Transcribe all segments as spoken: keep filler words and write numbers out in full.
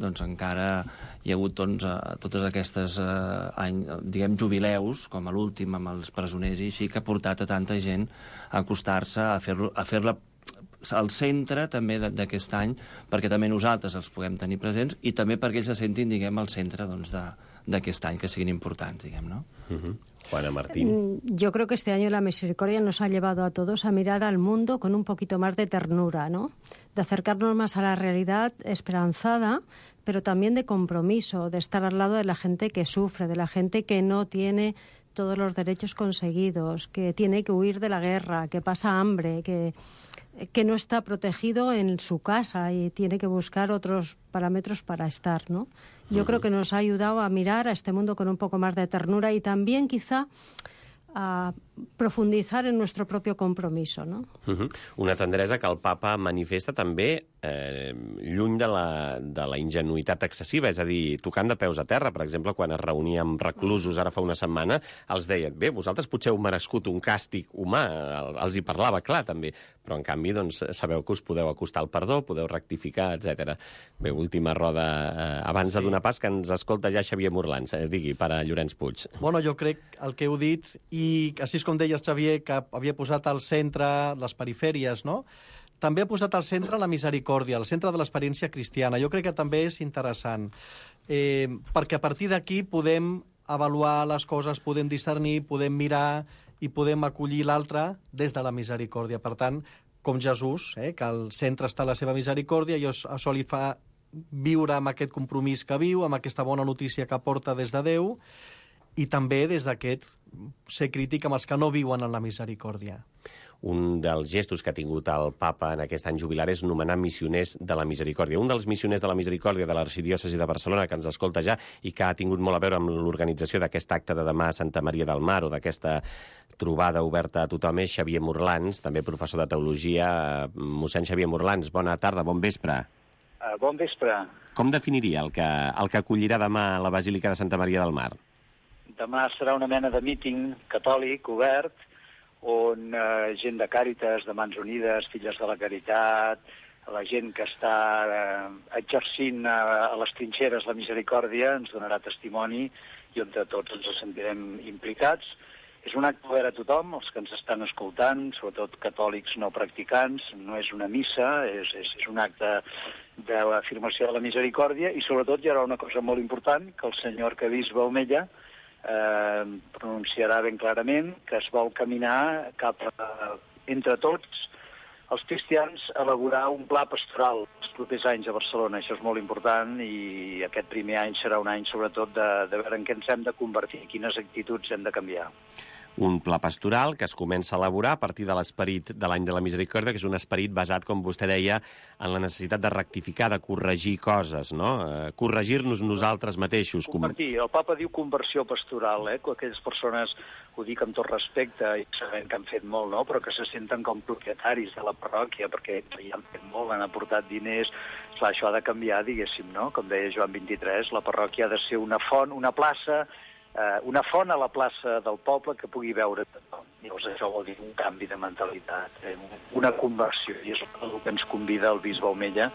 doncs encara hi ha hagut doncs, totes aquestes eh, any, diguem, jubileus, com a l'últim amb els presoners, i sí que ha portat a tanta gent a acostar-se, a fer-la a fer al centre també d'aquest any, perquè també nosaltres els puguem tenir presents i també perquè ells se sentin, diguem, al centre doncs, d'aquest any, que siguin importants, diguem, no? Uh-huh. Juana Martín. Yo creo que este año la misericordia nos ha llevado a todos a mirar al mundo con un poquito más de ternura, ¿no? De acercarnos más a la realidad esperanzada, pero también de compromiso, de estar al lado de la gente que sufre, de la gente que no tiene todos los derechos conseguidos, que tiene que huir de la guerra, que pasa hambre, que, que no está protegido en su casa y tiene que buscar otros parámetros para estar, ¿no? Yo uh-huh. creo que nos ha ayudado a mirar a este mundo con un poco más de ternura y también quizá a profundizar en nuestro propio compromiso, no? Uh-huh. Una tendresa que el papa manifesta també eh, lluny de la, de la ingenuïtat excessiva, és a dir, tocant de peus a terra. Per exemple, quan es reunia amb reclusos ara fa una setmana, els deien, bé, vosaltres potser heu merescut un càstig humà, els hi parlava clar també, però en canvi doncs, sabeu que us podeu acostar al perdó, podeu rectificar, etcètera. Bé, última roda, eh, abans sí. de donar pas, que ens escolta ja Xavier Morlans, eh, digui, per a Llorenç Puig. Bueno, jo crec el que heu dit, i així com deies, Xavier, que havia posat al centre les perifèries, no? També ha posat al centre la misericòrdia, al centre de l'experiència cristiana. Jo crec que també és interessant, eh, perquè a partir d'aquí podem avaluar les coses, podem discernir, podem mirar i podem acollir l'altre des de la misericòrdia. Per tant, com Jesús, eh, que al centre està la seva misericòrdia, i això li fa viure amb aquest compromís que viu, amb aquesta bona notícia que porta des de Déu, i també des d'aquest ser crític amb els que no viuen en la misericòrdia. Un dels gestos que ha tingut el papa en aquest any jubilar és nomenar missioners de la misericòrdia. Un dels missioners de la misericòrdia de l'arxidiòcesi de Barcelona, que ens escolta ja i que ha tingut molt a veure amb l'organització d'aquest acte de demà a Santa Maria del Mar o d'aquesta trobada oberta a tothom, és Xavier Morlans, també professor de teologia. Mossèn Xavier Morlans, bona tarda, bon vespre. Uh, bon vespre. Com definiria el que, el que acollirà demà a la Basílica de Santa Maria del Mar? Demà serà una mena de míting catòlic obert, on eh, gent de Càritas, de Mans Unides, Filles de la Caritat, la gent que està eh, exercint eh, a les trinxeres la misericòrdia ens donarà testimoni i on tots ens sentirem implicats. És un acte obert a tothom, els que ens estan escoltant, sobretot catòlics no practicants, no és una missa, és, és, és un acte de l'afirmació de la misericòrdia, i sobretot hi haurà una cosa molt important, que el senyor arquebisbe Omeya Eh, pronunciarà ben clarament que es vol caminar cap a, entre tots els cristians, elaborar un pla pastoral els propers anys a Barcelona. Això és molt important, i aquest primer any serà un any sobretot de, de veure en què ens hem de convertir, quines actituds hem de canviar. Un pla pastoral que es comença a elaborar a partir de l'esperit de l'any de la misericòrdia, que és un esperit basat, com vostè deia, en la necessitat de rectificar, de corregir coses, no? Eh, corregir-nos nosaltres mateixos. Convertir. El papa diu conversió pastoral, eh? Aquelles persones, ho dic amb tot respecte, i sabem que han fet molt, no? Però que se senten com propietaris de la parròquia, perquè ja han fet molt, han aportat diners. Clar, això ha de canviar, diguéssim, no? Com deia Joan vint-i-tres, la parròquia ha de ser una font, una plaça, Uh, una font a la plaça del poble que pugui veure tothom. Llavors això vol dir un canvi de mentalitat, eh? Una conversió, i és el que ens convida el bisbe Omeya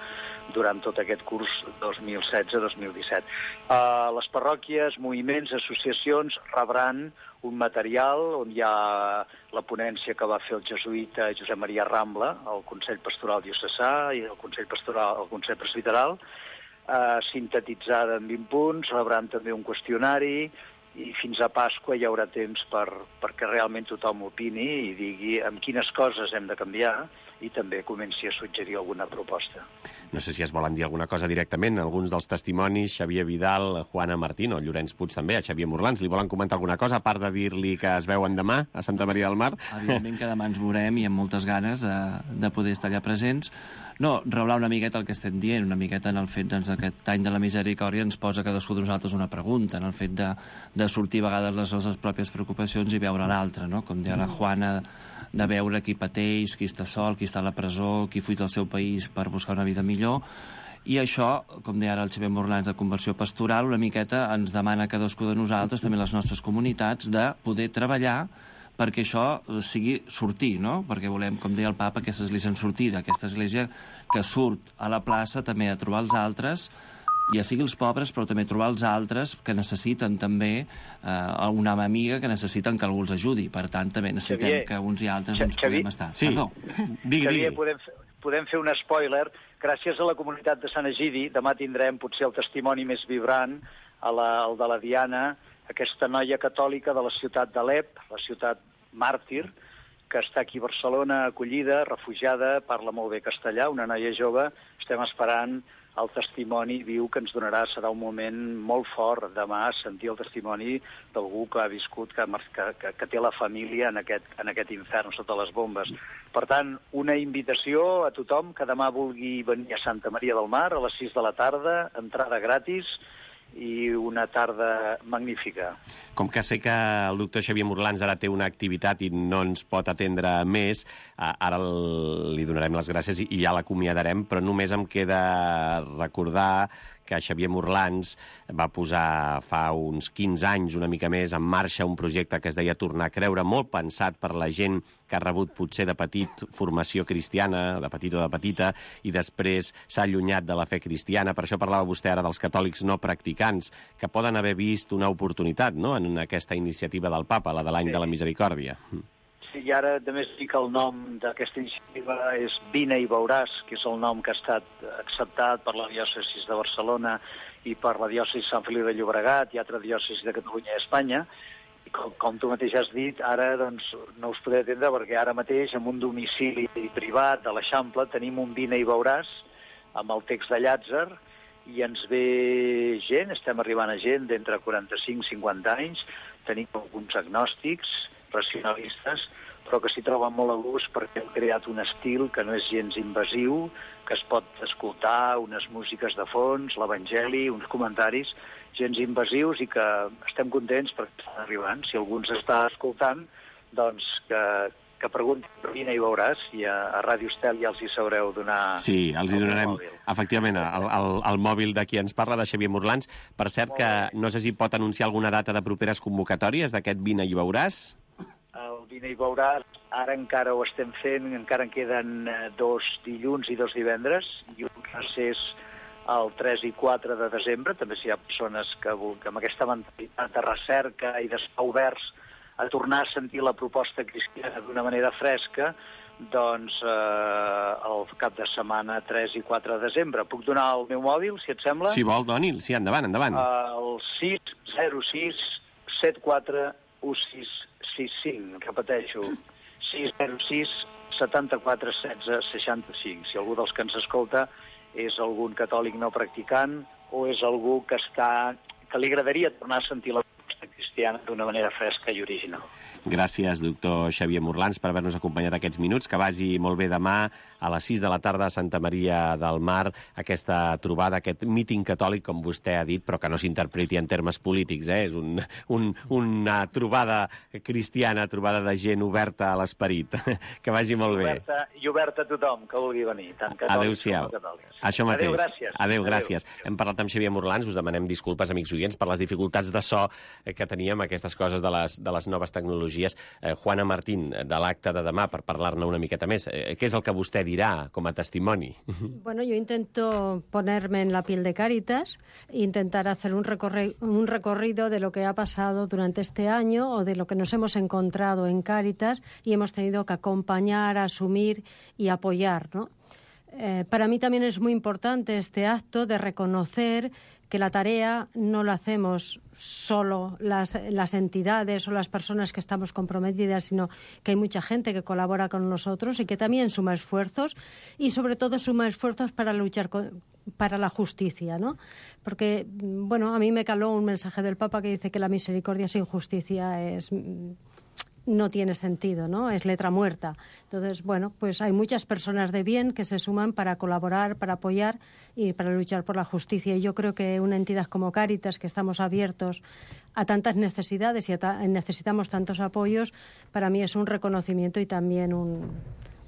durant tot aquest curs dos mil setze dos mil disset. Uh, les parròquies, moviments, associacions rebran un material on hi ha la ponència que va fer el jesuïta Josep Maria Rambla, el Consell Pastoral Diocesà i el Consell Pastoral, el Consell Presbiteral, uh, sintetitzada en vint punts, rebran també un qüestionari, i fins a Pasqua hi haurà temps per, perquè realment tothom opini i digui amb quines coses hem de canviar, i també comenci a suggerir alguna proposta. No sé si es volen dir alguna cosa directament, alguns dels testimonis, Xavier Vidal, Juana Martín o Llorenç Puig també, a Xavier Morlans, li volen comentar alguna cosa, a part de dir-li que es veuen demà a Santa Maria del Mar? Evidentment que demà ens veurem i amb moltes ganes de, de poder estar allà presents. No, reblar una miqueta el que estem dient, una miqueta en el fet doncs, aquest any de la misericòrdia ens posa cadascú de nosaltres una pregunta, en el fet de, de sortir a vegades les nostres pròpies preocupacions i veure l'altre, no? Com deia la Juana, de veure qui pateix, qui està sol, qui està a la presó, qui fuig del seu país per buscar una vida millor. I això, com deia ara el Xavier Morlans de conversió pastoral, una miqueta ens demana a cadascú de nosaltres, també les nostres comunitats, de poder treballar perquè això sigui sortir, no? Perquè volem, com deia el papa, aquesta església en sortida, aquesta església que surt a la plaça també a trobar els altres, ja sigui els pobres, però també trobar els altres que necessiten també eh, una amiga que necessiten que algú els ajudi. Per tant, també necessitem Xavier, que uns i altres ens Xavier, puguem estar. Sí. Perdó. Digui, Xavier, digui. podem, podem fer un spoiler. Gràcies a la comunitat de Sant Egidi, demà tindrem potser el testimoni més vibrant, a la, el de la Diana, aquesta noia catòlica de la ciutat d'Alep, la ciutat màrtir, que està aquí a Barcelona, acollida, refugiada, parla molt bé castellà, una noia jove. Estem esperant el testimoni viu que ens donarà. Serà un moment molt fort demà sentir el testimoni d'algú que ha viscut, que, que, que té la família en aquest, en aquest infern sota les bombes. Per tant, una invitació a tothom que demà vulgui venir a Santa Maria del Mar a les sis de la tarda, entrada gratis, i una tarda magnífica. Com que sé que el doctor Xavier Morlans ara té una activitat i no ens pot atendre més, ara li donarem les gràcies i ja l'acomiadarem, però només em queda recordar que Xavier Morlans va posar fa uns quinze anys, una mica més, en marxa un projecte que es deia Tornar a creure, molt pensat per la gent que ha rebut potser de petit formació cristiana, de petit o de petita, i després s'ha allunyat de la fe cristiana. Per això parlava vostè ara dels catòlics no practicants, que poden haver vist una oportunitat, no?, en aquesta iniciativa del Papa, la de l'any sí. de la Misericòrdia. Sí, i ara també es dic el nom d'aquesta iniciativa és Vine i veuràs, que és el nom que ha estat acceptat per la diòcesi de Barcelona i per la diòcesi de Sant Feliu de Llobregat i altra diòcesi de Catalunya i Espanya. I com, com tu mateix has dit, ara doncs, no us podré atendre perquè ara mateix en un domicili privat de l'Eixample tenim un Vine i veuràs amb el text de Llàtzer i ens ve gent, estem arribant a gent d'entre quaranta-cinc i cinquanta anys, tenim alguns agnòstics, racionalistes, però que s'hi troben molt a gust perquè hem creat un estil que no és gens invasiu, que es pot escoltar unes músiques de fons, l'Evangeli, uns comentaris gens invasius i que estem contents perquè estan arribant. Si algú ens està escoltant, doncs que, que pregunti per Vine i veuràs, i a, a Ràdio Estel ja els hi sabreu donar... Sí, els hi donarem, efectivament, el, el, el mòbil de qui ens parla, de Xavier Morlans. Per cert, que no sé si pot anunciar alguna data de properes convocatòries d'aquest Vine i veuràs. El Vine i veuràs, ara encara ho estem fent, encara en queden dos dilluns i dos divendres, i un recés el tres i quatre de desembre. També si hi ha persones que, que amb aquesta mentalitat de recerca i d'estar oberts a tornar a sentir la proposta cristiana d'una manera fresca, doncs eh, el cap de setmana tres i quatre de desembre. Puc donar el meu mòbil, si et sembla? Si vol, doni'l. Sí, endavant, endavant. El sis zero sis set quatre un sis sis cinc, repeteixo, sis zero sis setanta-quatre setze seixanta-cinc. Si algú dels que ens escolta és algun catòlic no practicant o és algú que està que li agradaria tornar a sentir la proposta cristiana d'una manera fresca i original. Gràcies, doctor Xavier Morlans, per haver-nos acompanyat aquests minuts. Que vagi molt bé demà a les sis de la tarda a Santa Maria del Mar, aquesta trobada, aquest míting catòlic, com vostè ha dit, però que no s'interpreti en termes polítics, eh? És un, un, una trobada cristiana, trobada de gent oberta a l'esperit. Que vagi molt bé. Oberta, I oberta a tothom que vulgui venir, tant catòlics com catòlics. Això mateix. Adéu, gràcies. Adéu, gràcies. Adéu. Hem parlat amb Xavier Morlans, us demanem disculpes, amics oients, per les dificultats de so que teníem, aquestes coses de les, de les noves tecnologies. Eh, Juana Martín, de l'acte de demà, per parlar-ne una miqueta més. Eh, què és el que vostè dirà com a testimoni? Bueno, yo intento ponerme en la piel de Cáritas e intentar hacer un, recorri un recorrido de lo que ha pasado durante este año o de lo que nos hemos encontrado en Cáritas y hemos tenido que acompañar, asumir y apoyar, ¿no? Eh, para mí también es muy importante este acto de reconocer que la tarea no la hacemos solo las, las entidades o las personas que estamos comprometidas, sino que hay mucha gente que colabora con nosotros y que también suma esfuerzos y sobre todo suma esfuerzos para luchar con, para la justicia, ¿no? Porque, bueno, a mí me caló un mensaje del Papa que dice que la misericordia sin justicia es... no tiene sentido, ¿no? Es letra muerta. Entonces, bueno, pues hay muchas personas de bien que se suman para colaborar, para apoyar y para luchar por la justicia. Y yo creo que una entidad como Cáritas, que estamos abiertos a tantas necesidades y a ta- necesitamos tantos apoyos, para mí es un reconocimiento y también un,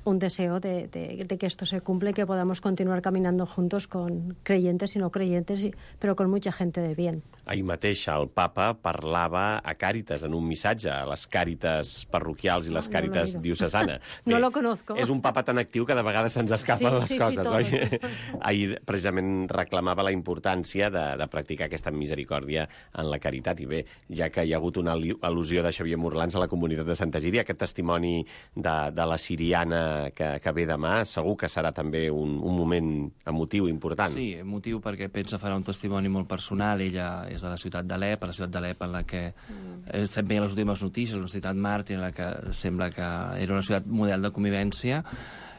un deseo de, de, de que esto se cumple y que podamos continuar caminando juntos con creyentes y no creyentes, y, pero con mucha gente de bien. Ahir mateix el papa parlava a Càritas, en un missatge, a les Càritas parroquials i les No, Càritas no diocesana. No lo conozco. És un papa tan actiu que de vegades se'ns escapen Sí, les sí, sí, coses, tot. oi? Ahir precisament reclamava la importància de, de practicar aquesta misericòrdia en la caritat. I bé, ja que hi ha hagut una al·lusió de Xavier Morlans a la comunitat de Santa Egídia, aquest testimoni de, de la siriana que, que ve demà, segur que serà també un, un moment emotiu important. Sí, emotiu perquè pensa farà un testimoni molt personal. Ella és de la ciutat d'Alep, a la ciutat d'Alep en la que mm. sempre hi ha les últimes notícies, una ciutat màrtir en la que sembla que era una ciutat model de convivència,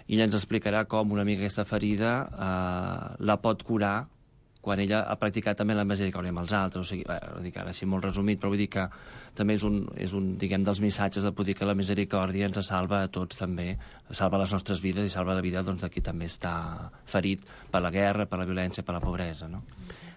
i ella ens explicarà com una mica aquesta ferida eh, la pot curar quan ella ha practicat també la misericòrdia amb els altres. O sigui, eh, ho dic ara així molt resumit, però vull dir que també és un, és un diguem, dels missatges de poder dir que la misericòrdia ens salva a tots també, salva les nostres vides i salva la vida doncs, de qui també està ferit per la guerra, per la violència, per la pobresa, no?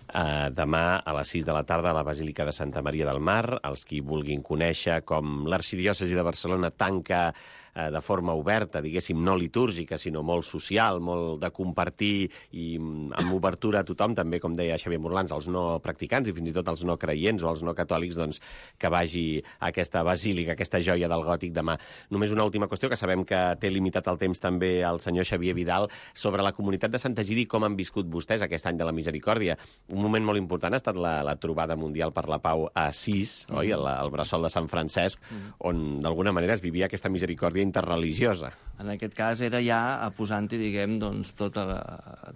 Uh, demà a les sis de la tarda a la Basílica de Santa Maria del Mar. Els qui vulguin conèixer com l'arxidiòcesi de Barcelona tanca uh, de forma oberta, diguéssim, no litúrgica, sinó molt social, molt de compartir i amb obertura a tothom, també, com deia Xavier Morlans, els no practicants i fins i tot els no creients o els no catòlics, doncs, que vagi a aquesta basílica, aquesta joia del gòtic demà. Només una última qüestió, que sabem que té limitat el temps també el senyor Xavier Vidal, sobre la comunitat de Santa Egidi, com han viscut vostès aquest any de la misericòrdia. Un moment molt important ha estat la, la trobada mundial per la pau a Assís, mm. oi? El, el bressol de Sant Francesc, mm. on d'alguna manera es vivia aquesta misericòrdia interreligiosa. En aquest cas era ja posant-hi, diguem, doncs, tot el,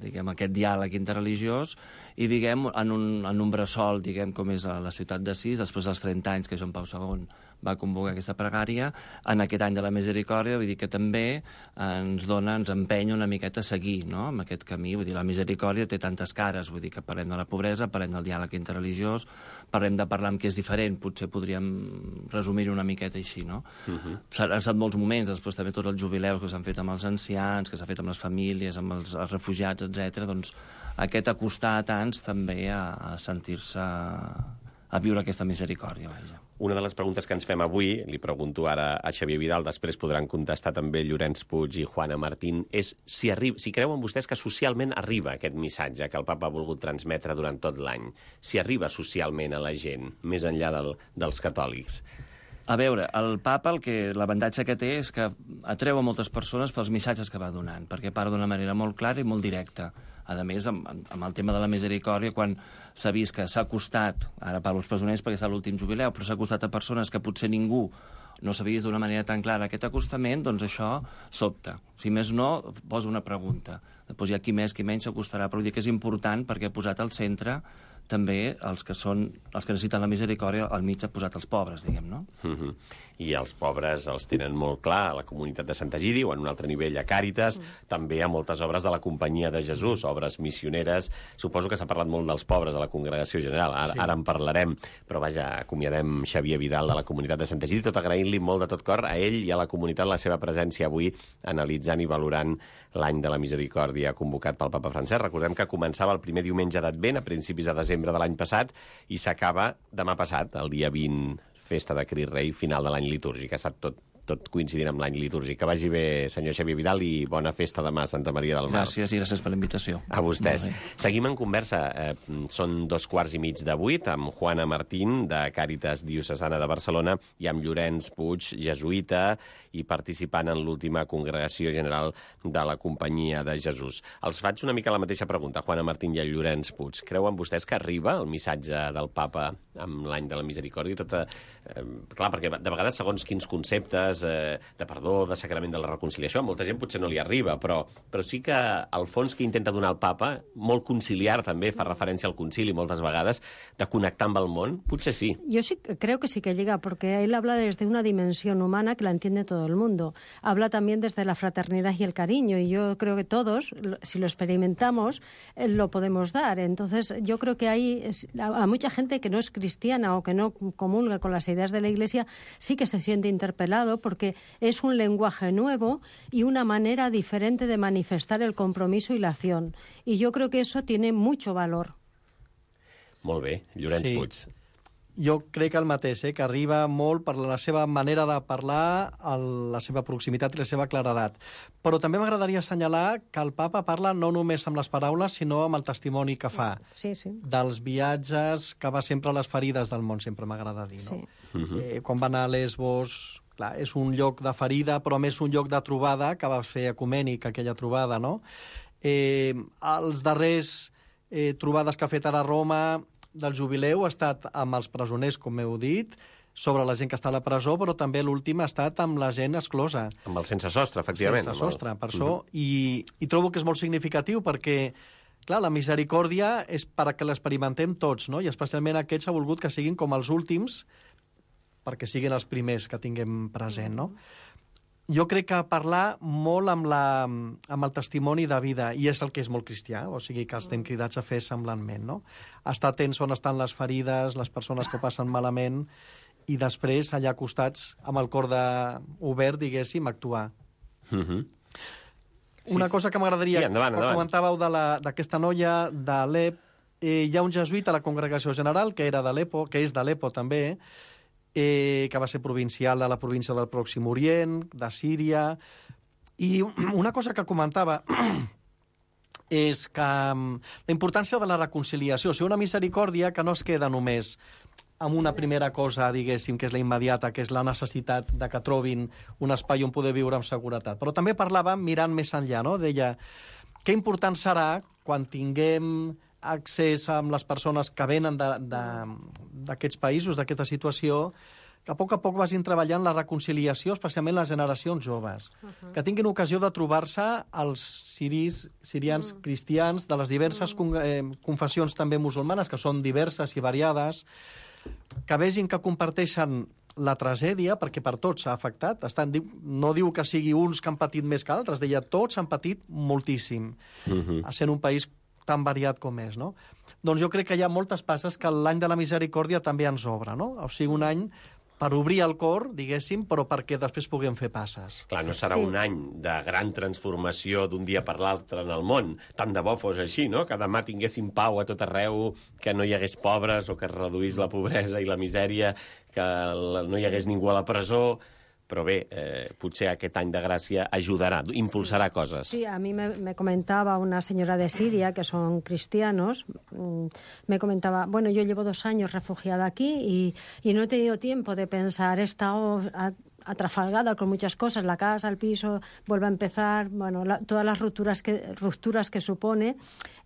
diguem, aquest diàleg interreligiós i, diguem, en un, en un bressol, diguem, com és a la ciutat d'Assís, després dels trenta anys que Joan Pau segon va convocar aquesta pregària, en aquest any de la misericòrdia, vull dir que també ens dona, ens empenya una miqueta a seguir, no?, amb aquest camí. Vull dir, la misericòrdia té tantes cares, vull dir que parlem de la pobresa, parlem del diàleg interreligiós, parlem de parlar amb què és diferent, potser podríem resumir-ho una miqueta així, no? Uh-huh. Han estat molts moments, després també tots els jubileus que s'han fet amb els ancians, que s'ha fet amb les famílies, amb els, els refugiats, etcètera. Doncs aquest acostar a tants també a, a sentir-se, a viure aquesta misericòrdia, vaja. Una de les preguntes que ens fem avui, li pregunto ara a Xavier Vidal, després podran contestar també Llorenç Puig i Juana Martín, és si, arriba, si creuen vostès que socialment arriba aquest missatge que el papa ha volgut transmetre durant tot l'any, si arriba socialment a la gent, més enllà del, dels catòlics. A veure, el papa el que l'avantatge que té és que atreu a moltes persones pels missatges que va donant, perquè parla d'una manera molt clara i molt directa. A més, amb, amb el tema de la misericòrdia, quan s'ha vist que s'ha costat, ara parlo als presoners perquè és l'últim jubileu, però s'ha costat a persones que potser ningú no s'ha vist d'una manera tan clara aquest acostament, doncs això sobta. Si més no, posa una pregunta. Després hi ha qui més, qui menys s'acostarà, però dir que és important perquè ha posat al centre també els que són els que necessiten la misericòrdia, al mig ha posat els pobres, diguem, no? Uh-huh. I els pobres els tenen molt clar a la comunitat de Santa Egidi o en un altre nivell a Càritas, mm. també a moltes obres de la Companyia de Jesús, obres missioneres. Suposo que s'ha parlat molt dels pobres a la Congregació General, ara, sí. ara en parlarem, però vaja, acomiadem Xavier Vidal de la comunitat de Santa Egidi, tot agraint-li molt de tot cor a ell i a la comunitat la seva presència avui analitzant i valorant l'any de la misericòrdia convocat pel papa Francesc. Recordem que començava el primer diumenge d'Advent, a principis de desembre de l'any passat, i s'acaba demà passat, el dia vint, festa de Crist Rei, final de l'any litúrgic. Ha estat tot, tot coincidint amb l'any litúrgic. Que vagi bé, senyor Xavier Vidal, i bona festa demà a Santa Maria del Mar. Gràcies i gràcies per la invitació. A vostès. Seguim en conversa. Eh, són dos quarts i mig de vuit amb Juana Martín, de Càritas Diocesana de Barcelona, i amb Llorenç Puig, jesuïta, i participant en l'última congregació general de la Companyia de Jesús. Els faig una mica la mateixa pregunta, Juana Martín i Llorenç Puig. Creuen vostès que arriba el missatge del papa amb l'any de la misericòrdia? Tota, eh, clar, perquè de vegades, segons quins conceptes eh, de perdó, de sacrament de la reconciliació, a molta gent potser no li arriba, però, però sí que al fons que intenta donar el papa, molt conciliar també, fa referència al concili moltes vegades, de connectar amb el món, potser sí. Yo sí creo que sí que llega, porque él habla desde una dimensión humana que la entiende todo el mundo. Habla también desde la fraternidad y el cariño, y yo creo que todos, si lo experimentamos, eh, lo podemos dar. Entonces, yo creo que hay a, a mucha gente que no es cristiana o que no comulga con las ideas de la Iglesia, sí que se siente interpelado, porque es un lenguaje nuevo y una manera diferente de manifestar el compromiso y la acción. Y yo creo que eso tiene mucho valor. Molt bé, Llorenç Sí. Puig. jo crec el mateix, eh, que arriba molt per la seva manera de parlar, el, la seva proximitat i la seva claredat. Però també m'agradaria assenyalar que el papa parla no només amb les paraules, sinó amb el testimoni que fa. Sí, sí. Dels viatges que va sempre a les ferides del món, sempre m'agrada dir, no? Sí. Uh-huh. eh, quan va anar a Lesbos, clar, és un lloc de ferida, però a més un lloc de trobada, que va fer ecumènic aquella trobada, no? Eh, els darrers eh, trobades que ha fet ara a Roma del jubileu ha estat amb els presoners, com heu dit, sobre la gent que està a la presó, però també l'últim ha estat amb la gent exclosa. Amb el sense sostre, efectivament. Sense sostre, per això. Uh-huh. I, I trobo que és molt significatiu perquè, clar, la misericòrdia és perquè l'experimentem tots, no? I especialment aquests ha volgut que siguin com els últims perquè siguin els primers que tinguem present, no? Jo crec que parlar molt amb, la, amb el testimoni de vida, i és el que és molt cristià, o sigui que estem cridats a fer semblantment, no? Estar atents on estan les ferides, les persones que ho passen malament, i després, allà acostats, amb el cor de... obert, diguéssim, actuar. Uh-huh. Una sí, cosa que m'agradaria... Sí, endavant, endavant. Comentàveu d'aquesta noia d'Alep. Eh, hi ha un jesuïta a la Congregació General, que era d'Alepo, que és d'Alepo també, eh, que va ser provincial de la província del Pròxim Orient, de Síria. I una cosa que comentava és que la importància de la reconciliació, o sigui, una misericòrdia que no es queda només amb una primera cosa, diguéssim, que és la immediata, que és la necessitat de que trobin un espai on poder viure amb seguretat. Però també parlava mirant més enllà, no? Deia, que important serà quan tinguem accés amb les persones que venen d'aquests països, d'aquesta situació, que a poc a poc vagin treballant la reconciliació, especialment les generacions joves, uh-huh. que tinguin ocasió de trobar-se els siris, sirians uh-huh. cristians de les diverses uh-huh. con, eh, confessions també musulmanes, que són diverses i variades, que vegin que comparteixen la tragèdia, perquè per tots s'ha afectat. Estan, no diu que sigui uns que han patit més que altres, deia tots han patit moltíssim, uh-huh. sent un país tan variat com és, no? Doncs jo crec que hi ha moltes passes que l'any de la misericòrdia també ens obre, no? O sigui, un any per obrir el cor, diguéssim, però perquè després puguem fer passes. Clar, no serà sí. un any de gran transformació d'un dia per l'altre en el món. Tant de bo fos així, no? Que demà tinguéssim pau a tot arreu, que no hi hagués pobres o que es reduís la pobresa i la misèria, que no hi hagués ningú a la presó. Però bé, eh, potser aquest any de gràcia ajudarà, impulsarà sí. cosas. Sí, a mí me, me comentaba una señora de Siria, que son cristianos, me comentaba, bueno, yo llevo dos años refugiada aquí y, y no he tenido tiempo de pensar, he estado atrafalgada con muchas cosas, la casa, el piso, vuelve a empezar, bueno, la, todas las rupturas que, rupturas que supone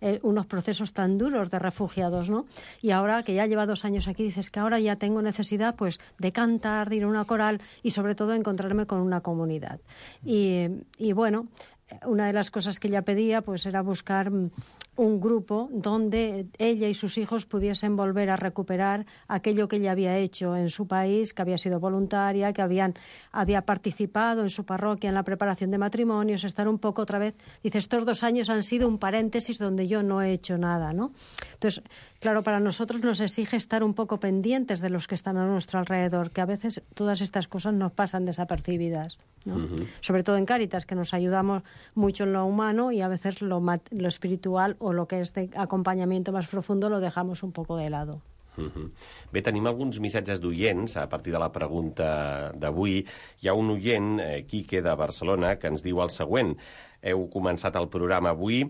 eh, unos procesos tan duros de refugiados, ¿no? Y ahora que ya lleva dos años aquí, dices que ahora ya tengo necesidad, pues, de cantar, de ir a una coral y, sobre todo, encontrarme con una comunidad. Y, y bueno, una de las cosas que ella pedía, pues, era buscar un grupo donde ella y sus hijos pudiesen volver a recuperar aquello que ella había hecho en su país, que había sido voluntaria, que habían, había participado en su parroquia en la preparación de matrimonios, estar un poco otra vez. Dice, estos dos años han sido un paréntesis donde yo no he hecho nada, ¿no? Entonces, claro, para nosotros nos exige estar un poco pendientes de los que están a nuestro alrededor, que a veces todas estas cosas nos pasan desapercibidas, ¿no? Uh-huh. Sobre todo en Cáritas, que nos ayudamos mucho en lo humano y a veces lo, lo espiritual o lo que es de acompañamiento más profundo lo dejamos un poco de lado. Uh-huh. Bé, tenim alguns missatges d'oients a partir de la pregunta d'avui. Hi ha un oient, eh, Quique, de Barcelona, que ens diu el següent. Heu començat el programa avui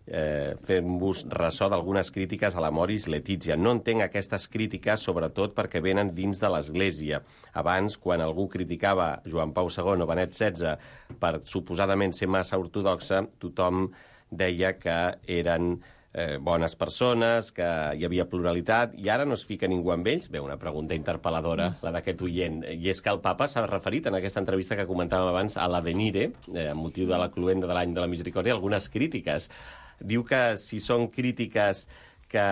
eh, fent-vos ressò d'algunes crítiques a la Moris Letizia. No entenc aquestes crítiques, sobretot perquè venen dins de l'Església. Abans, quan algú criticava Joan Pau segon o Benet setze per suposadament ser massa ortodoxa, tothom deia que eren eh, bones persones, que hi havia pluralitat, i ara no es fica ningú amb ells? Bé, una pregunta interpel·ladora, la d'aquest oient. I és que el papa s'ha referit en aquesta entrevista que comentàvem abans a l'Avenire, eh, amb motiu de la cluenda de l'any de la misericòrdia, algunes crítiques. Diu que si són crítiques que,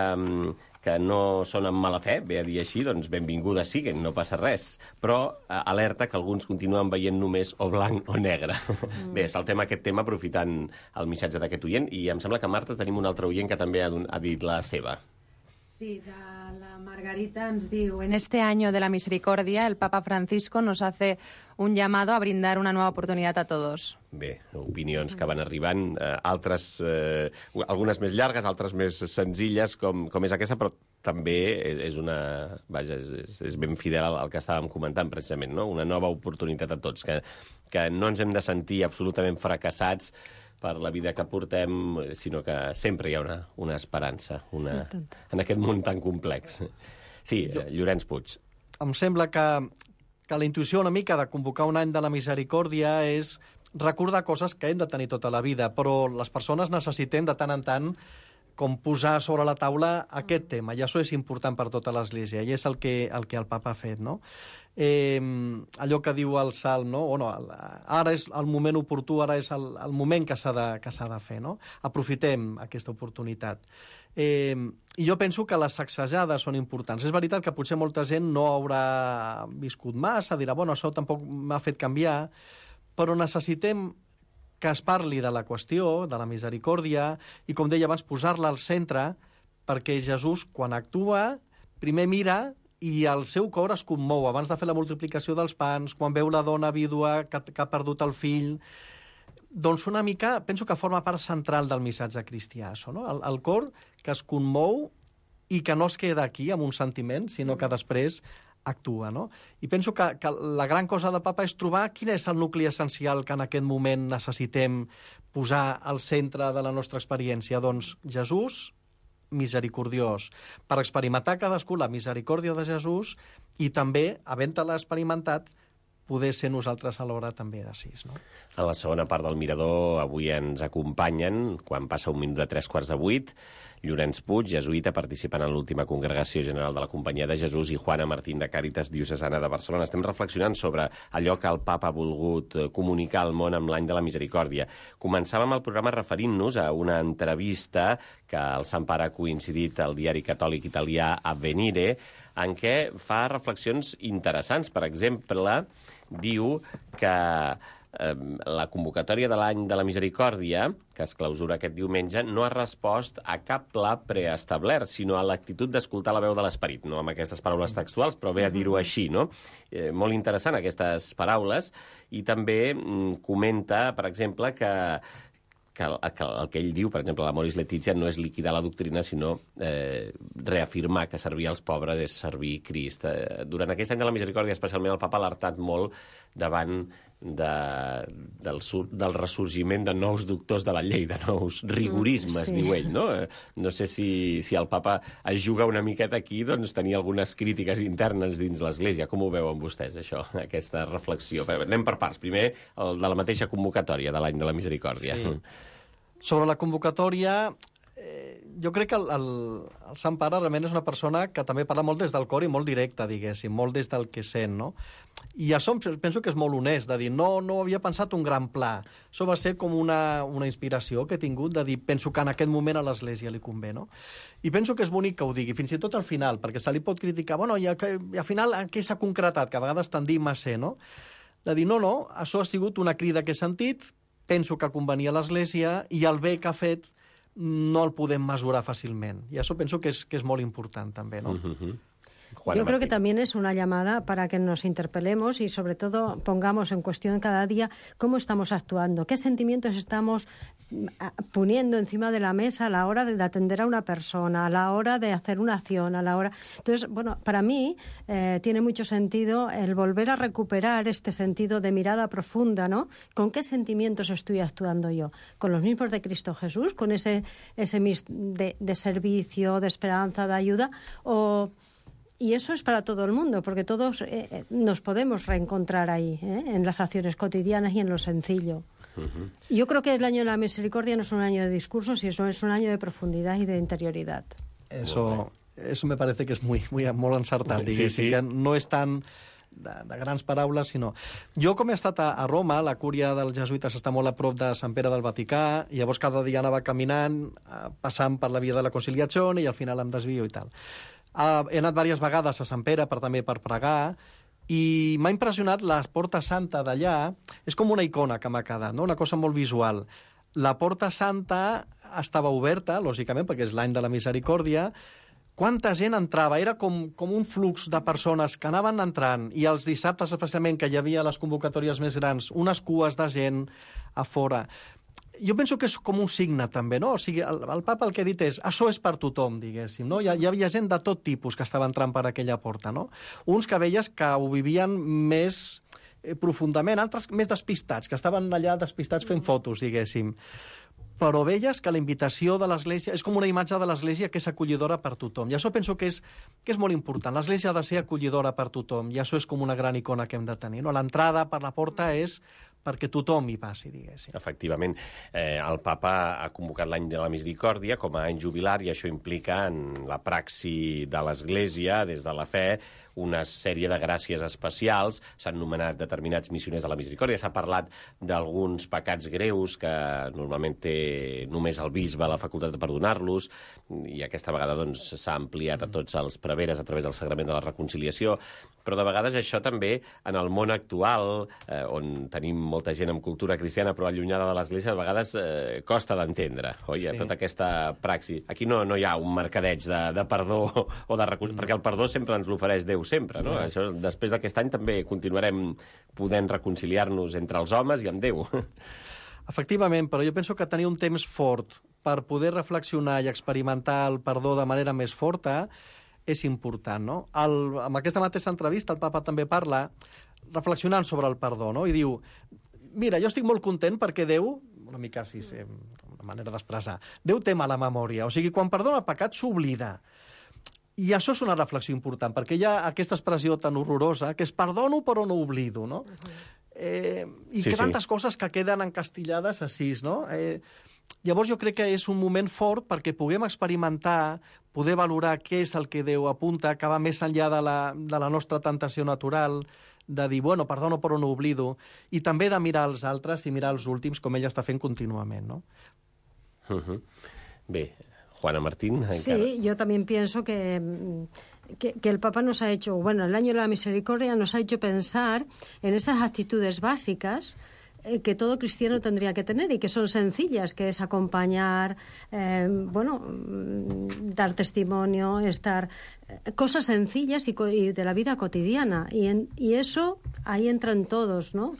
que no són amb mala fe, ve a dir així, doncs benvingudes siguen, no passa res. Però eh, alerta que alguns continuen veient només o blanc o negre. Mm. Bé, saltem aquest tema aprofitant el missatge d'aquest oient, i em sembla que, Marta, tenim un altre oient que també ha, ha dit la seva. Sí, Sí, de la Margarita ens diu: en este año de la misericordia, el Papa Francisco nos hace un llamado a brindar una nueva oportunidad a todos. Bé, opinions que van arribant, eh, altres, eh, algunes més llargues, altres més senzilles, com, com és aquesta, però també és, és una... Vaja, és, és ben fidel al, al que estàvem comentant, precisament, no? Una nova oportunitat a tots, que, que no ens hem de sentir absolutament fracassats per la vida que portem, sinó que sempre hi ha una, una esperança una, en aquest món tan complex. Sí, jo, Llorenç Puig. Em sembla que, que la intuïció una mica de convocar un any de la misericòrdia és recordar coses que hem de tenir tota la vida, però les persones necessitem de tant en tant com posar sobre la taula aquest tema, i això és important per tota l'Església, i és el que el, que el Papa ha fet, no? Eh, allò que diu el Salm, no? O no, ara és el moment oportú, ara és el, el moment que s'ha de, que s'ha de fer, no? Aprofitem aquesta oportunitat. Eh, I jo penso que les sacsejades són importants. És veritat que potser molta gent no haurà viscut massa, dirà, bueno, això tampoc m'ha fet canviar, però necessitem que es parli de la qüestió, de la misericòrdia, i, com deia abans, posar-la al centre, perquè Jesús, quan actua, primer mira i el seu cor es commou abans de fer la multiplicació dels pans, quan veu la dona vídua que, que ha perdut el fill. Doncs una mica, penso que forma part central del missatge cristià, això, no? El, el cor que es commou i que no es queda aquí amb un sentiment, sinó que després actua, no? I penso que, que la gran cosa del Papa és trobar quin és el nucli essencial que en aquest moment necessitem posar al centre de la nostra experiència. Doncs Jesús, misericordiós, per experimentar cadascú la misericòrdia de Jesús i també, havent-la experimentat, poder ser nosaltres alhora també de sis, no? A la segona part del Mirador avui ens acompanyen, quan passa un minut de tres quarts de vuit, Llorenç Puig, jesuïta, participant en l'última congregació general de la Companyia de Jesús, i Juana Martín, de Càritas Diocesana de Barcelona. Estem reflexionant sobre allò que el Papa ha volgut comunicar al món amb l'any de la misericòrdia. Començàvem el programa referint-nos a una entrevista que el Sant Pare ha coincidit al diari catòlic italià Avvenire, en què fa reflexions interessants. Per exemple, diu que eh, la convocatòria de l'any de la misericòrdia, que es clausura aquest diumenge, no ha respost a cap pla preestablert, sinó a l'actitud d'escoltar la veu de l'esperit. No amb aquestes paraules textuals, però ve a dir-ho així, no? Eh, molt interessant, aquestes paraules. I també mm, comenta, per exemple, que que el, que el que ell diu, per exemple, l'Amoris Laetitia, no és liquidar la doctrina, sinó eh, reafirmar que servir als pobres és servir Crist. Eh, durant aquest any de la misericòrdia, especialment, el Papa ha alertat molt davant de, del, del ressorgiment de nous doctors de la llei, de nous rigorismes, sí. Diu ell, no? No sé si, si el Papa es juga una miqueta aquí, doncs tenir algunes crítiques internes dins l'Església. Com ho veuen vostès, això, aquesta reflexió? Anem per parts. Primer, el de la mateixa convocatòria de l'any de la misericòrdia. Sí. Sobre la convocatòria, eh, jo crec que el, el, el Sant Pare realment és una persona que també parla molt des del cor i molt directe, diguéssim, molt des del que sent, no? I això penso que és molt honest, de dir, no, no havia pensat un gran pla. Això va ser com una, una inspiració que he tingut de dir, penso que en aquest moment a l'Església li convé, no? I penso que és bonic que ho digui, fins i tot al final, perquè se li pot criticar, bueno, i, i al final en què s'ha concretat, que a vegades tendim a ser, no? De dir, no, no, això ha sigut una crida que he sentit, penso que convenia a l'Església i el bé que ha fet no el podem mesurar fàcilment. I això penso que és, que és molt important també, ¿no? Uh-huh. Juana Yo creo Martín. Que también es una llamada para que nos interpelemos y sobre todo pongamos en cuestión cada día cómo estamos actuando, qué sentimientos estamos poniendo encima de la mesa a la hora de atender a una persona, a la hora de hacer una acción, a la hora... Entonces, bueno, para mí eh, tiene mucho sentido el volver a recuperar este sentido de mirada profunda, ¿no? ¿Con qué sentimientos estoy actuando yo? ¿Con los mismos de Cristo Jesús? ¿Con ese, ese de, de servicio, de esperanza, de ayuda? ¿O...? Y eso es para todo el mundo, porque todos eh, nos podemos reencontrar ahí, ¿eh? En las acciones cotidianas y en lo sencillo. Uh-huh. Yo creo que el año de la misericordia no es un año de discursos, sino es un año de profundidad y de interioridad. Eso, eso me parece que és muy, muy, molt encertat. Sí, sí. Que no és tant de, de grans paraules, sinó... Jo, com he estat a, a Roma, la cúria dels jesuïtes està molt a prop de Sant Pere del Vaticà, i llavors cada dia anava caminant, passant per la via de la Conciliació, i al final em desvio i tal. Uh, he anat diverses vegades a Sant Pere per, també per pregar, i m'ha impressionat la Porta Santa d'allà. És com una icona que m'ha quedat, no? Una cosa molt visual. La Porta Santa estava oberta, lògicament, perquè és l'any de la misericòrdia, quanta gent entrava, era com, com un flux de persones que anaven entrant, i els dissabtes especialment, que hi havia les convocatòries més grans, unes cues de gent a fora. Jo penso que és com un signe, també, no? O sigui, el, el papa el que ha dit és, això és per tothom, diguéssim, no? Hi, hi havia gent de tot tipus que estava entrant per aquella porta, no? Uns que veies que ho vivien més eh, profundament, altres més despistats, que estaven allà despistats fent fotos, diguéssim. Però veies que la invitació de l'Església és com una imatge de l'Església que és acollidora per tothom. I això penso que és, que és molt important. L'Església ha de ser acollidora per tothom, i això és com una gran icona que hem de tenir, no? L'entrada per la porta és perquè tothom hi passi, diguéssim. Efectivament. Eh, el papa ha convocat l'any de la misericòrdia com a any jubilar, i això implica en la praxi de l'Església, des de la fe, una sèrie de gràcies especials. S'han nomenat determinats missioners de la misericòrdia. S'ha parlat d'alguns pecats greus que normalment té només el bisbe la facultat de perdonar-los, i aquesta vegada doncs, s'ha ampliat a tots els preveres a través del sagrament de la reconciliació. Però de vegades això també, en el món actual, eh, on tenim molta gent amb cultura cristiana però allunyada de l'Església, a vegades eh, costa d'entendre, oi? Sí. Tota aquesta praxi. Aquí no, no hi ha un mercadeig de, de perdó o de reconciliació, perquè el perdó sempre ens l'ofereix Déu sempre, no? Sí. Això, després d'aquest any també continuarem podent reconciliar-nos entre els homes i amb Déu. Efectivament, però jo penso que tenir un temps fort per poder reflexionar i experimentar el perdó de manera més forta és important, no? El, en aquesta mateixa entrevista el papa també parla reflexionant sobre el perdó, no? I diu, mira, jo estic molt content perquè Déu, una mica així, sí, una manera d'expressar, Déu té mala memòria, o sigui, quan perdona el pecat s'oblida. I això és una reflexió important, perquè hi ha aquesta expressió tan horrorosa que és perdono però no oblido, no? Uh-huh. Eh, I sí, que tantes sí. coses que queden encastillades així, no? Eh, llavors jo crec que és un moment fort perquè puguem experimentar, poder valorar què és el que Déu apunta, que va més enllà de la, de la nostra tentació natural, de dir, bueno, perdono però no oblido, i també de mirar els altres i mirar els últims, com ella està fent contínuament, no? Uh-huh. Bé, Juana Martín. Sí, encara... yo también pienso que, que, que el Papa nos ha hecho, bueno, el año de la misericordia nos ha hecho pensar en esas actitudes básicas eh, que todo cristiano tendría que tener y que son sencillas, que es acompañar, eh, bueno, dar testimonio, estar... Eh, cosas sencillas y, y de la vida cotidiana. Y, en, y eso ahí entran todos, ¿no?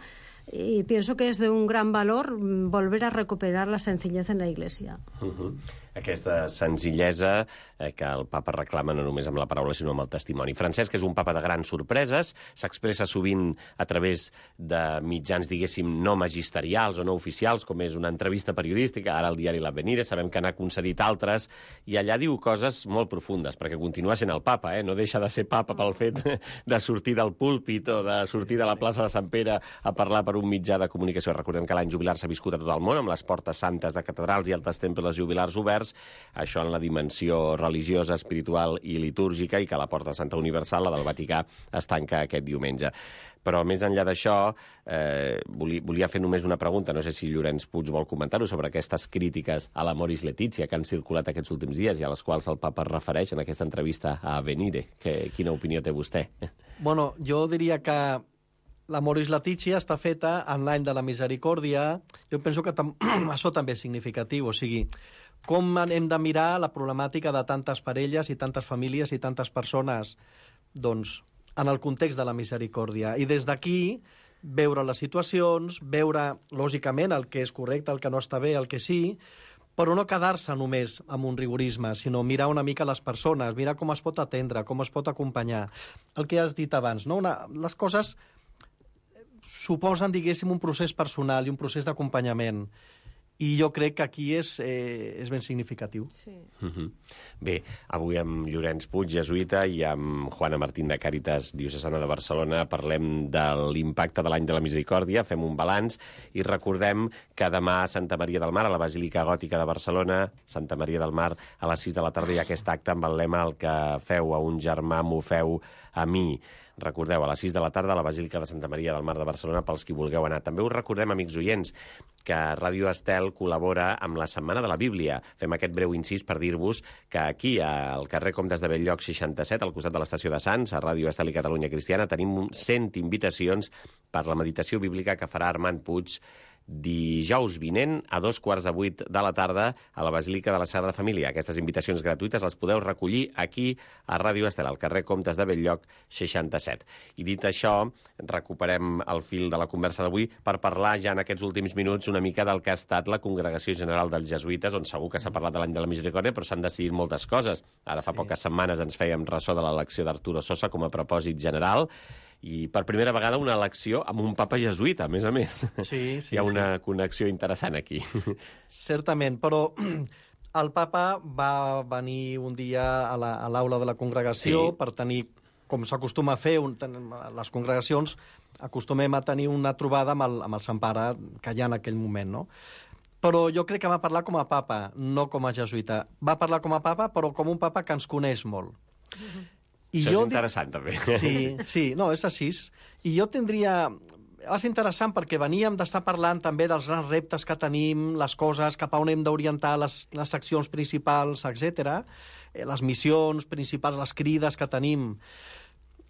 Y pienso que es de un gran valor volver a recuperar la sencillez en la Iglesia. Uh-huh. Aquesta senzillesa eh, que el papa reclama no només amb la paraula sinó amb el testimoni. Francesc és un papa de grans sorpreses, s'expressa sovint a través de mitjans, diguéssim, no magisterials o no oficials, com és una entrevista periodística, ara al diari L'Avvenire, sabem que n'ha concedit altres, i allà diu coses molt profundes, perquè continua sent el papa, eh? No deixa de ser papa pel fet de sortir del púlpit o de sortir de la plaça de Sant Pere a parlar per un mitjà de comunicació. Recordem que l'any jubilar s'ha viscut a tot el món, amb les portes santes de catedrals i altres temples jubilars oberts, això en la dimensió religiosa, espiritual i litúrgica, i que la Porta Santa Universal, la del Vaticà, es tanca aquest diumenge. Però més enllà d'això, eh, volia, volia fer només una pregunta, no sé si Llorenç Puig vol comentar-ho, sobre aquestes crítiques a la Moris Letizia que han circulat aquests últims dies i a les quals el papa es refereix en aquesta entrevista a Avvenire. Que, quina opinió té vostè? Bueno, jo diria que la Moris Letizia està feta en l'any de la misericòrdia. Jo penso que tam això també és significatiu, o sigui, com hem de mirar la problemàtica de tantes parelles i tantes famílies i tantes persones, doncs, en el context de la misericòrdia. I des d'aquí veure les situacions, veure, lògicament, el que és correcte, el que no està bé, el que sí, però no quedar-se només amb un rigorisme, sinó mirar una mica les persones, mirar com es pot atendre, com es pot acompanyar. El que has dit abans, no? Una, les coses suposen, diguéssim, un procés personal i un procés d'acompanyament. I jo crec que aquí és, eh, és ben significatiu. Sí. Uh-huh. Bé, avui amb Llorenç Puig, jesuïta, i amb Juana Martín de Càritas Diocesana de Barcelona parlem de l'impacte de l'any de la misericòrdia, fem un balanç i recordem que demà a Santa Maria del Mar, a la Basílica Gòtica de Barcelona, Santa Maria del Mar, a les sis de la tarda hi ha aquest acte amb el lema "El que feu a un germà m'ho feu a mi". Recordeu, a les sis de la tarda a la Basílica de Santa Maria del Mar de Barcelona, pels qui vulgueu anar. També us recordem, amics oients, que Ràdio Estel col·labora amb la Setmana de la Bíblia. Fem aquest breu incís per dir-vos que aquí, al carrer Comtes de Bell-lloc seixanta-set, al costat de l'estació de Sants, a Ràdio Estel i Catalunya Cristiana, tenim cent invitacions per la meditació bíblica que farà Armand Puig dijous vinent a dos quarts de vuit de la tarda a la Basílica de la Sagrada Família. Aquestes invitacions gratuïtes les podeu recollir aquí a Ràdio Estel, al carrer Comtes de Bell-lloc seixanta-set. I dit això, recuperem el fil de la conversa d'avui per parlar ja en aquests últims minuts una mica del que ha estat la Congregació General dels Jesuïtes, on segur que s'ha parlat de l'any de la Misericòrdia, però s'han decidit moltes coses. Ara fa Sí. poques setmanes ens fèiem ressò de l'elecció d'Arturo Sosa com a propòsit general, i per primera vegada una elecció amb un papa jesuïta, a més a més. Sí, sí, Hi ha una sí. connexió interessant aquí. Certament, però el papa va venir un dia a la- a l'aula de la congregació Sí. per tenir, com s'acostuma a fer, un, ten, les congregacions acostumem a tenir una trobada amb el, amb el Sant Pare que hi ha en aquell moment, no? Però jo crec que va parlar com a papa, no com a jesuïta. Va parlar com a papa, però com un papa que ens coneix molt. I Això jo és dic- interessant, també. Sí, sí, no, és així. I jo tindria... Va ser interessant perquè veníem d'estar parlant també dels grans reptes que tenim, les coses, cap a on hem d'orientar les, les accions principals, etcètera, eh, les missions principals, les crides que tenim.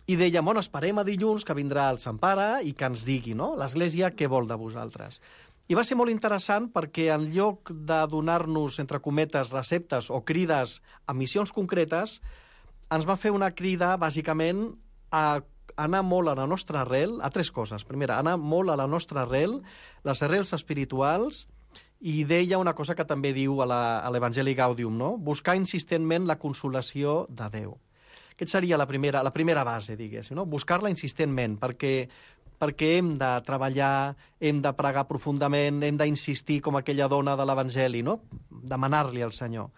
I deia, bueno, esperem a dilluns que vindrà el Sant Pare i que ens digui, no?, l'Església què vol de vosaltres. I va ser molt interessant perquè en lloc de donar-nos, entre cometes, receptes o crides a missions concretes, ens va fer una crida, bàsicament, a anar molt a la nostra arrel, a tres coses. Primera, anar molt a la nostra arrel, les arrels espirituals, i deia una cosa que també diu a la- a l'Evangeli Gaudium, no? Buscar insistentment la consolació de Déu. Aquesta seria la primera, la primera base, diguéssim, no? Buscar-la insistentment, perquè, perquè hem de treballar, hem de pregar profundament, hem d'insistir com aquella dona de l'Evangeli, no? Demanar-li al Senyor.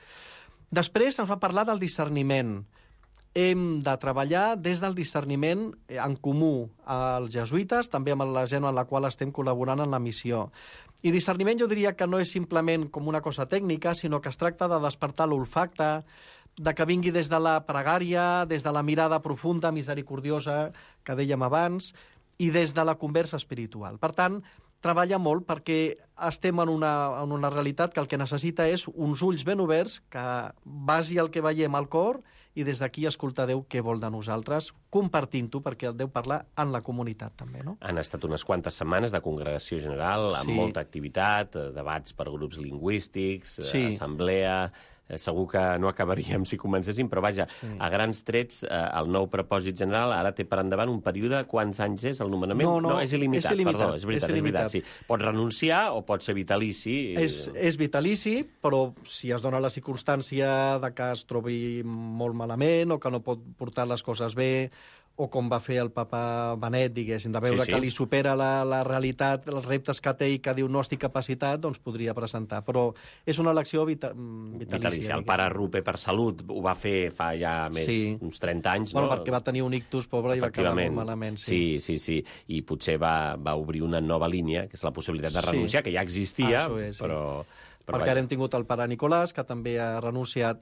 Després ens va parlar del discerniment. Hem de treballar des del discerniment en comú als jesuïtes, també amb la gent amb la qual estem col·laborant en la missió. I discerniment jo diria que no és simplement com una cosa tècnica, sinó que es tracta de despertar l'olfacte, de que vingui des de la pregària, des de la mirada profunda, misericordiosa, que dèiem abans, i des de la conversa espiritual. Per tant, treballa molt perquè estem en una, en una realitat que el que necessita és uns ulls ben oberts, que vagi el que veiem al cor i des d'aquí escoltar Déu què vol de nosaltres, compartint-ho, perquè el Déu parla en la comunitat també, no? Han estat unes quantes setmanes de congregació general, amb Sí. molta activitat, eh, debats per grups lingüístics, eh, Sí. assemblea... Eh, segur que no acabaríem si comencéssim, però vaja, Sí. a grans trets, eh, el nou propòsit general ara té per endavant un període, quants anys és el nomenament? No, no, és il·limitat, és il·limitat, perdó, és veritat, és és, veritat, sí. il·limitat. Pots renunciar o pot ser vitalici. És, és vitalici, però si es dona la circumstància de que es trobi molt malament o que no pot portar les coses bé, o com va fer el papa Benet, diguéssim, de veure Sí, sí. que li supera la, la realitat, els reptes que té i que diu no estic capacitat, doncs podria presentar. Però és una elecció vita, vitalícia. Vitalici. El diguéssim. pare Rupe, per salut, ho va fer fa ja més Sí. uns trenta anys, Bueno, no? perquè va tenir un ictus, pobre, i va acabar molt Efectivament. malament. Sí, sí, sí. I potser va, va obrir una nova línia, que és la possibilitat de Sí. renunciar, que ja existia, Ah, això és, sí. però... però Perquè vaja. ara hem tingut el pare Nicolàs, que també ha renunciat,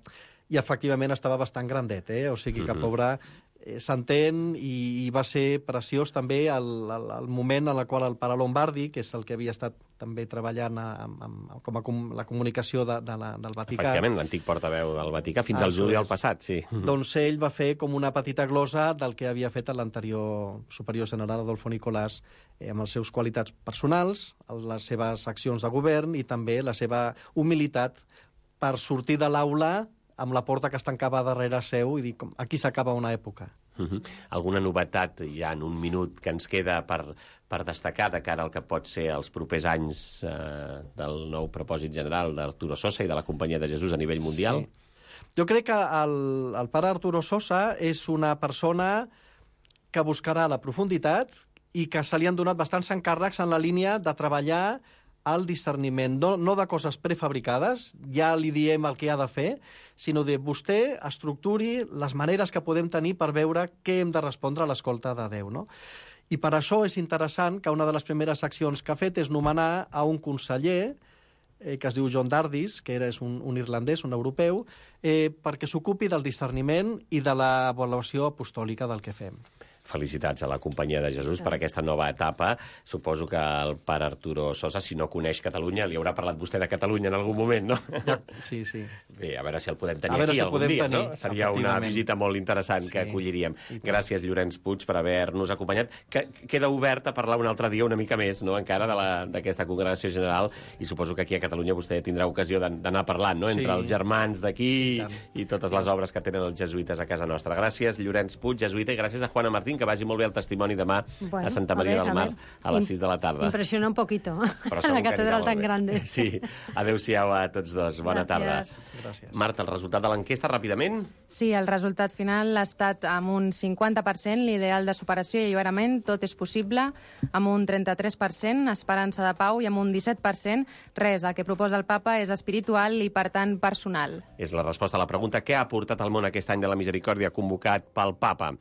i efectivament estava bastant grandet, eh? O sigui que, Mhm. pobre, eh, s'entén, i, i va ser preciós també el, el, el moment en el qual el pare Lombardi, que és el que havia estat també treballant a, amb, amb, com a com, la comunicació de, de la, del Vaticà, Efectivament, l'antic portaveu del Vaticà, fins Ah, al això juliol és. passat, sí. doncs ell va fer com una petita glosa del que havia fet l'anterior superior general Adolfo Nicolàs, eh, amb les seves qualitats personals, les seves accions de govern i també la seva humilitat per sortir de l'aula amb la porta que es tancava darrere seu i dir, com, aquí s'acaba una època. Uh-huh. Alguna novetat ja en un minut que ens queda per, per destacar de cara al que pot ser els propers anys eh, del nou propòsit general d'Arturo Sosa i de la Companyia de Jesús a nivell mundial? Sí. Jo crec que el, el pare Arturo Sosa és una persona que buscarà la profunditat i que se li han donat bastants encàrrecs en la línia de treballar el discerniment, no, no de coses prefabricades, ja li diem el que ha de fer, sinó de vostè estructuri les maneres que podem tenir per veure què hem de respondre a l'escolta de Déu, no? I per això és interessant que una de les primeres accions que ha fet és nomenar a un conseller eh, que es diu John Dardis, que era, és un, un irlandès, un europeu, eh, perquè s'ocupi del discerniment i de l'avaluació apostòlica del que fem. Felicitats a la Companyia de Jesús per aquesta nova etapa. Suposo que el pare Arturo Sosa, si no coneix Catalunya, li haurà parlat vostè de Catalunya en algun moment, no? Ja, sí, sí. Bé, a veure si el podem tenir aquí si algun dia, tenir, no? Seria una visita molt interessant sí. que acolliríem. Gràcies, Llorenç Puig, per haver-nos acompanyat. Que queda obert a parlar un altre dia una mica més, no?, encara d'aquesta congregació general, i suposo que aquí a Catalunya vostè tindrà ocasió d'anar parlant, no?, entre sí. els germans d'aquí i, i totes les obres que tenen els jesuïtes a casa nostra. Gràcies, Llorenç Puig, jesuïta, i gràcies a Juana Martín, que vagi molt bé el testimoni demà bueno, a Santa Maria a ver, del Mar a, a les sis de la tarda. Impressiona un poquito, la catedral tan grande. Sí, adeu-siau a tots dos. Bona Gràcies. tarda. Gràcies. Marta, el resultat de l'enquesta, ràpidament? Sí, el resultat final ha estat amb un cinquanta per cent, l'ideal de superació i alliberament, tot és possible, amb un trenta-tres per cent, esperança de pau, i amb un disset per cent, res, el que proposa el papa és espiritual i, per tant, personal. És la resposta a la pregunta què ha aportat al món aquest any de la misericòrdia convocat pel papa.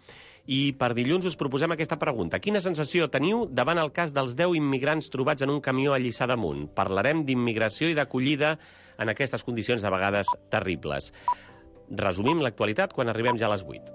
I per dilluns us proposem aquesta pregunta. Quina sensació teniu davant el cas dels deu immigrants trobats en un camió a Lliçà d'Amunt? Parlarem d'immigració i d'acollida en aquestes condicions de vegades terribles. Resumim l'actualitat quan arribem ja a les vuit.